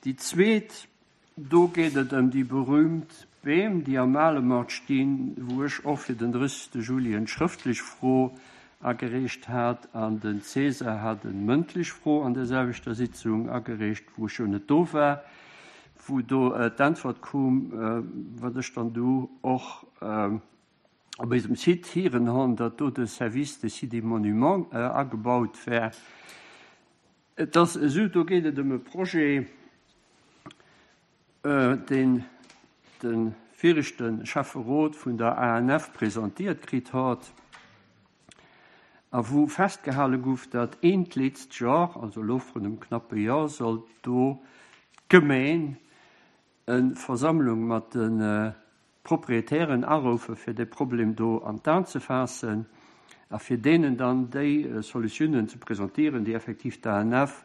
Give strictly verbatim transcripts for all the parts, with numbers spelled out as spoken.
Déi zweet, do geet et ëm déi berühmt Beem, déi am Alemort stinn, wou ech och fir den drëssegste Juli eng schrëftlech Fro agereecht hat an den César hat eng mëndlech Fro an der selwechter Sitzung agereecht, wou ech jo net do war, wou do d'Äntwert koum, wat ech dann do och op eisem Site hieren hunn, datt do de Service des Sites et Monuments agebaut wär. Et ass esou, do geet et ëm e Projet, deen de viregte Schäfferot vun der A N F presentiert kritt hat a wou festgehale gouf, datt eent letzte Joer, also elo vrun einem knappe Joer, soll do d'Gemeng eng Versammlung mat de Proprietären arufe fir de Problem do an d'An ze fassen a fir denen dann déi Solutiounen ze präsentieren, déi effektiv d'A N F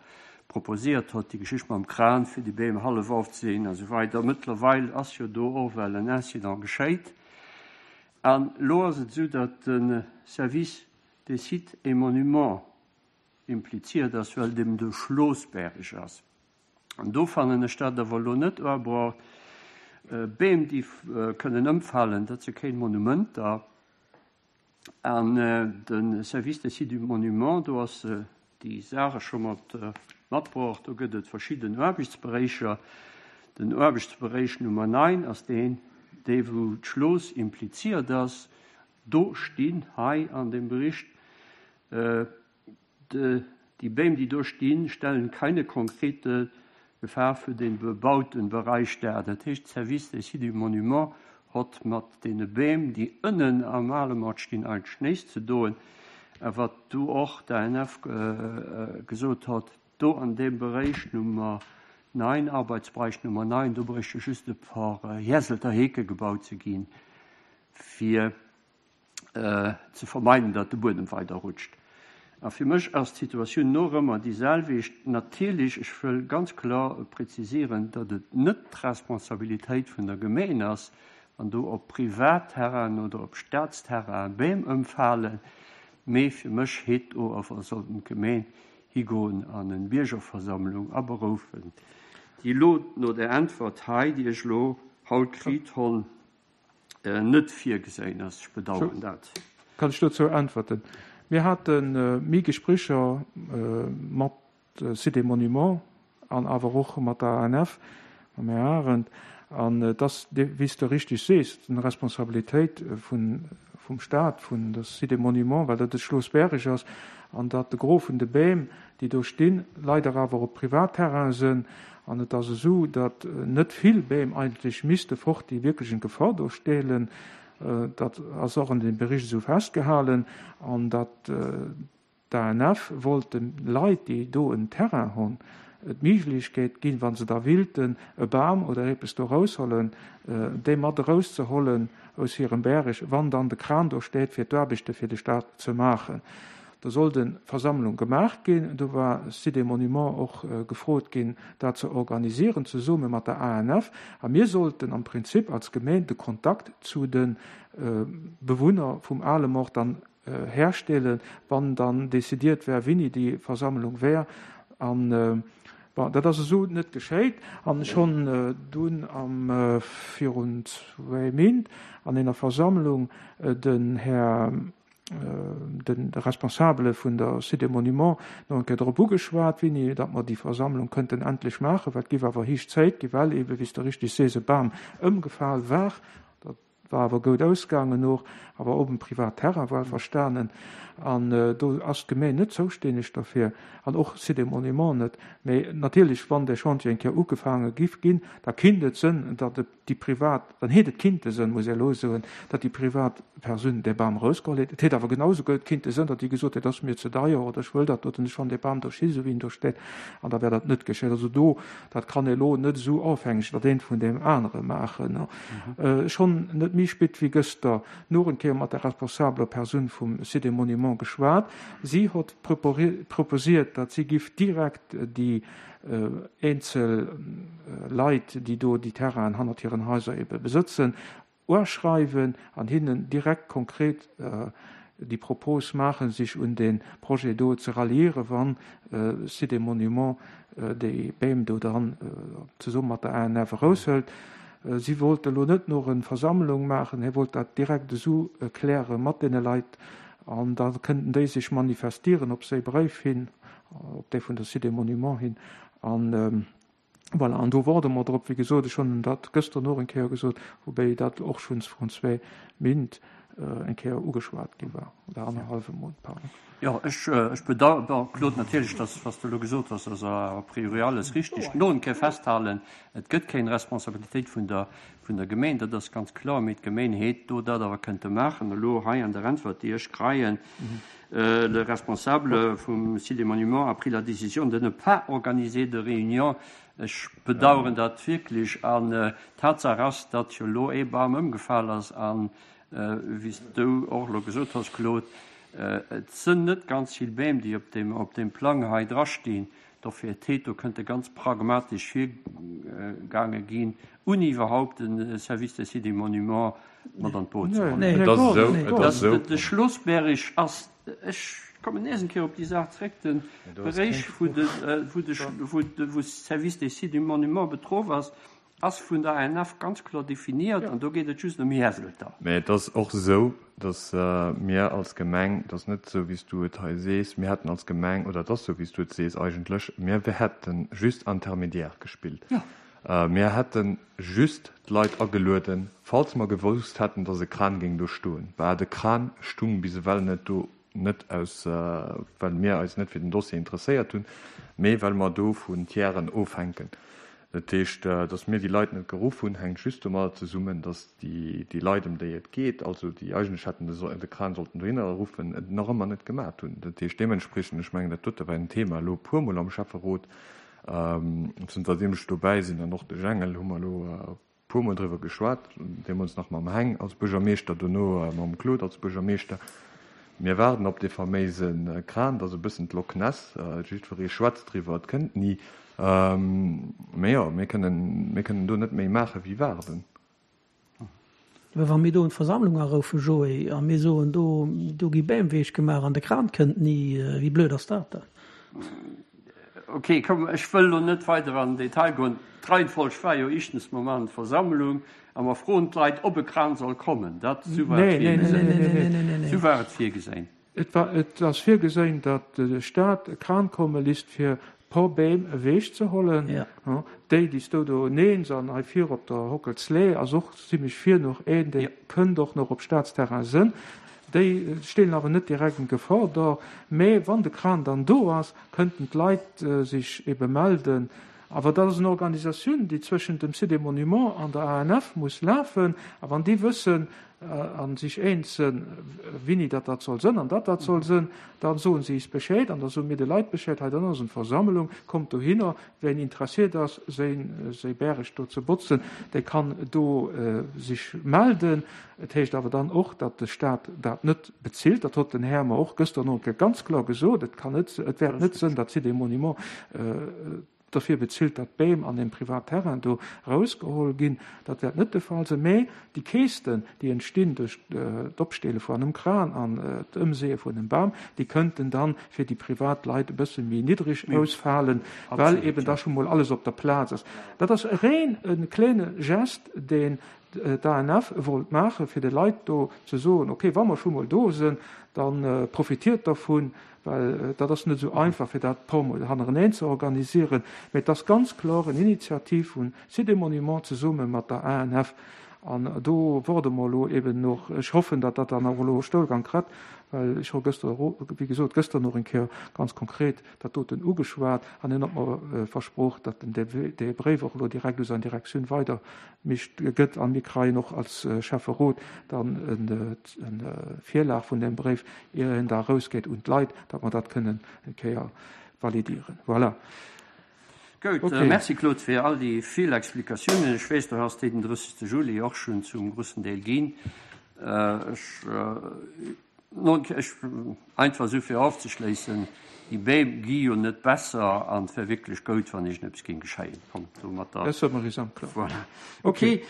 proposiert hat, die Geschichte mam Kran fir die Beem hallef aufzusehen und so weiter. Mittlerweile ass jo do och well en Incident geschéit. An lo ass et so, datt den Service des Sites et Monuments impliziert ass, well dem de Schlossberg ass. An do fannen ech dat awer lo net abraucht. Beem, déi kënnen ëmfallen, dat se kein Monumenter. An den Service des Sites et Monuments, do ass die Sache schon mat matbraucht, do gëtt et verschiedene Aarbechtsbereicher. Den Aarbechtsbereich Nummer neun ass den, dee wou d'Schloss impliziert ass. Do stinn hei an dem Bericht, äh, de, die Bäume, die do stehen, stellen keine konkrete Gefahr für den bebauten Bereich dar. Das heißt, Service des Sites et Monuments hat mat den Bäumen, die innen am Alemort stehen, eigentlich nichts zu tun. Aber was du auch der N F, äh, gesagt hat, do an dem Bereich Nummer neun, Arbeitsbereich Nummer neun, do bräuchte just ein paar, äh, Jäselter Heke gebaut zu gehen, fir, äh, zu vermeiden, dass der Boden weiter rutscht. A fir mech ass d'Situatioun noch ëmmer déi selwecht. Natierlech, ech wëll ganz klar präzisieren, datt et net d'Responsabilitéit vun der Gemeng ass, wann do op Privatterrain oder op Staatsterrain Beem ëmfalen, mee fir mech heet o awer sollten d'Gemeng higoen an en Biergerversammlung aberufen. Déi lo no der Antwort hei, déi ech lo haut kritt hunn, äh, net virgesehen ass. Ich bedauern So, dat. Kann ich dazu antworten? Wir hatten, äh, méi Gespräche, äh, mat, äh, Sites et Monuments an awer och mat der A N F, mam Herr Arendt, an, äh, das, wie du richtig siehst, eine Responsabilität, äh, vun, vum Staat, vun der Sites et Monuments, weil dat de Schloss Berg ass, an dat de Gros vun de Bäm, déi do stinn, leider awer op Privatterrain sinn, an et ass so, dat, äh, net vill Bäm eigentlich misste fort, déi wirklich in Gefahr do stehlen. Äh, dat ass och an dem Bericht so festgehalten, an dat, äh, d'A N F wollt den Leit, déi do en Terrain hunn, d'Möglichkeit ginn, wann se da willten, e Bam oder etwas do rausholen, äh, déi mat rauszuholen aus hirem Berg, wann dann de Kran do steht, fir d'Aarbechte fir de Staat ze machen. Da soll den Versammlung gemacht ginn, do war Sites et Monuments och, äh, gefrot ginn, dat ze organisieren, zesumme mat der A N F. A mir sollten am Prinzip als Gemeinde de Kontakt zu den, äh, Bewunner vum Alemort dann, äh, herstellen, wann dann decidiert wär, wéini die Versammlung wär. An, äh, bon, dat ass so net geschéit. An schon, äh, dunn am, äh, virun zwei Méint an enger Versammlung, äh, den Herr, äh, den Responsable vun der Sites et Monuments noch eng Kéier drop ugeschwat, wéini, datt mer die Versammlung könnten endlich machen, well et giff awer héich Zäit gi, well eben, wéi du richtig sees, e Bam ëmgefall war. Dat war awer gut ausgegangen noch, awer op dem Privatterrain war verstanden. An, äh, do ass d'Gemeng net zoustänneg dafür, an och Sites et Monuments net. Mee natierlech, wann der Chantier eng Kéier ugefaange giff ginn, da kinnt et sënn, datt et die Privat, dann hätt et kinnte sënn, muss ich lo soen, datt die Privatperson de Bam rausgeholt hätt. Et hätt awer genauso gut kinnte sënn, datt die gesot hätt, das ist mir zu teuer oder ich will dat oder schon de Bam do steht, so wie ihn do steht, an da wär dat net geschéit. Also do, dat kann e lo net so aufhängig, dat een vun dem anderen machen, ne? Mhm. Äh, schon net méi spät wie gëster nur en Kéier mat der responsabler Person vum Sites et Monuments geschwat. Sie hat propori-, proposiert, dat sie giff direkt die, äh, einzel, äh, Leit, die do die Terrain hannert ihren Häuser eben besitzen, urschreiben an hinnen direkt konkret, äh, déi Propos maachen, sech un dee Projet do ze ralliieren, wann Sites et Monuments déi Beem do dann zesumme mat der A N F eraushëlt. Si wollt elo net nach eng Versammlung maachen, hie wollt dat direkt esou kläre mat deene Leit an da kënnten déi sech manifestieren op säi Bréif hin, op dee vun der Sites et Monuments hin. An voilà, an do waarde mer drop. Wéi gesot, ech hunn dat gëschter och eng Kéier gesot, woubäi dat och schonns vrun zwee Méint eng Kéier ugeschwat gi war, oder annerhallwe Mount, pardon. Jo, ech, ech bedauern, bon, Claude, natierlech, dass, was du elo gesot hues, ass a priori alles richtig. Nach eng Kéier festhalen, et gëtt keng Responsabilitéit vun der, vun der Gemeng, dat ass ganz kloer, mee d'Gemeng hätt do dat awer kënnte maachen. Elo hei an der Äntwert, déi ech kréien, äh, le responsable vum Site des Monuments a pris la décision de ne pas organiser de réunion. Ech bedauern dat wierklech an äh, Tatsaach ass, datt jo elo ee Bam ëmgefall ass an äh, wéi s du och elo gesot hues, Claude, äh, et sinn net ganz vill Beem, déi op dem, op dem Plang hei drastinn. Dofir hätt do kënnte ganz pragmatesch virgaange ginn, ouni iwwerhaupt den Service des Sites et Monuments mat an d'Boot ze huelen. Nee, Et ass esou, nee, et ass esou. De Schlossberg ass, ech kommen nees eng Kéier op déi Saach zréck, den Beräich, wou de, äh, wou de, wou de, wou Service des Sites et Monuments betroff ass, ass vun der A N F ganz kloer definiert an do geet et just ëm Häselter. Mee et ass och esou, dass äh, mir als Gemeng, dat ass net esou, wéi s du et hei sees, mir hätten als Gemeng, oder dat ass esou, wéi s du et sees eigentlech, mir hätte just Intermédiaire gespillt. Ja. Äh, mir hätte just d'Leit agelueden, falls mer gewosst hätten, dass e Kran géing do stoen. Well de Kran stung bis ewell net do, net aus, äh, well mir eis net fir den Dossier interesséiert hunn, mee well mer do vun Tieren ofhänken. Dat heescht, äh, dass mir déi Leit net geruff hunn, hänkt just domat zesummen, dass déi, déi Leit, ëm déi et geet, also déi eigentlech hätten de, de Kran sollten dohinner ruffen, et nach ëmmer net gemaach hunn. Dat heescht deementspriechend, ech mengen, dat dote war en Thema elo puermol am Schäfferot, ähm, zënterdeem ech dobäi sinn, an och de Jengel hu mer elo äh, puermol driwwer geschwat, deemools nach mam Heng als Buergermeeschter, dono äh, mam Claude als Buergermeeschter. Mir waarden op dee faméise Kran, dat ass e bëssen d'Loch Ness, äh, jiddweree schwätzt driwwer, et kënnt ni. Ähm, mee jo, mir kënnen, mir kënnen do net méi maache wéi waarden. Wa mir do eng Versammlung aruffen, Joé, a mir soen do, do gi Beem ewech gemaach an de Kran kënnt ni, äh, wéi blöd ass dat da? Okay, komm, ech wëll lo net weider an den Detail goen. D'Reihenfolg war jo éischtens Moment Versammlung, a mer froen d'Leit, ob e Kran soll kommen. Dat sou war Nee, et nee, nee, virgesinn. nee, nee, nee, nee, nee. Sou war et virgesinn. Et war, et ass virgesinn, datt de Staat e Kran komme léisst fir puer Beem ewech ze huelen. Ja. Ja, déi, déi s du do nenns an hei vir op der Hockelslee, ass och zimmlech vir nach een, dee Ja. kënnt och nach op Staatsterrain sinn. Déi stinn awer net direkt in Gefor do. Mee wann de Kran dann do ass, kënnten d'Leit äh, sech ebe melden. Awer dat ass eng Organisatioun, déi zwëschent dem Site des Monuments an der A N F muss lafen. A wann déi wëssen äh, an sech eens sinn, wéini dat dat soll sinn an dat dat soll sinn, dann soen si eis Bescheed an da soe mir de Leit Bescheed, hei dann ass eng Versammlung, kommt dohinner, wien interesséiert ass, säin, säi Bierg do ze botzen, dee kann do äh, sech melden. Et heescht awer dann och, datt de Staat dat net bezilt. Dat huet den Här mer och gëschter nach ganz kloer gesot. Et kann net, et wäert net sinn, datt Sites et Monuments äh, dofir bezilt, datt Beem an dem Privatterrain do rausgeholl ginn. Dat wäert net de Fall sinn. Mee déi Käschten, déi entstinn duerch äh, d'Opstelle vun engem Kran an äh, d'Ëmseeë vun engem Bam, déi kënnten dann fir déi Privatleit e bësse méi niddreg ausfalen, well Absolut, eben ja. da scho mol alles op der Plaz ass. Dat ass reng e klenge Gest, deen d'A N F wollt maachen, fir de Leit do ze soen, okay, wa mer scho mol do sinn, dann äh, profitiert dovun, well äh, dat ass net sou einfach fir dat puermol hannereneen ze organiséieren. Mee dat ass ganz kloer eng Initiativ vun Sites et Monuments zesumme mat der A N F. An do waarde mer lo eben nach, ech hoffen, datt dat dann och elo Stougang kritt, well ech hu gëschter, wéi gesot, gëschter nach eng Kéier ganz konkret dat doten ugeschwat an hien huet mer äh, versprach, datt den de Bréif och lo direkt u seng Direktioun weider mécht gëtt an mir kréien och als äh, Schäfferot dann en, en Virlag vun dem Bréif, ier en da rausgeet un d'Leit, datt mer dat kënnen eng Kéier validieren. Voilà. Gutt, Okay. okay. Merci Claude fir all déi vill Explikatiounen. Ech weess, du hues den drëssegste Juli och schonn zum groussen Deel ginn. Äh, ech, äh, nun, ech, einfach sou fir ofzeschléissen, déi Beem gi jo net besser an et wär wierklech gutt, wann iergendeppes géing geschéien. Komm, domat da. Dat soll mer gesot, kloer. Voilà. Okay, okay.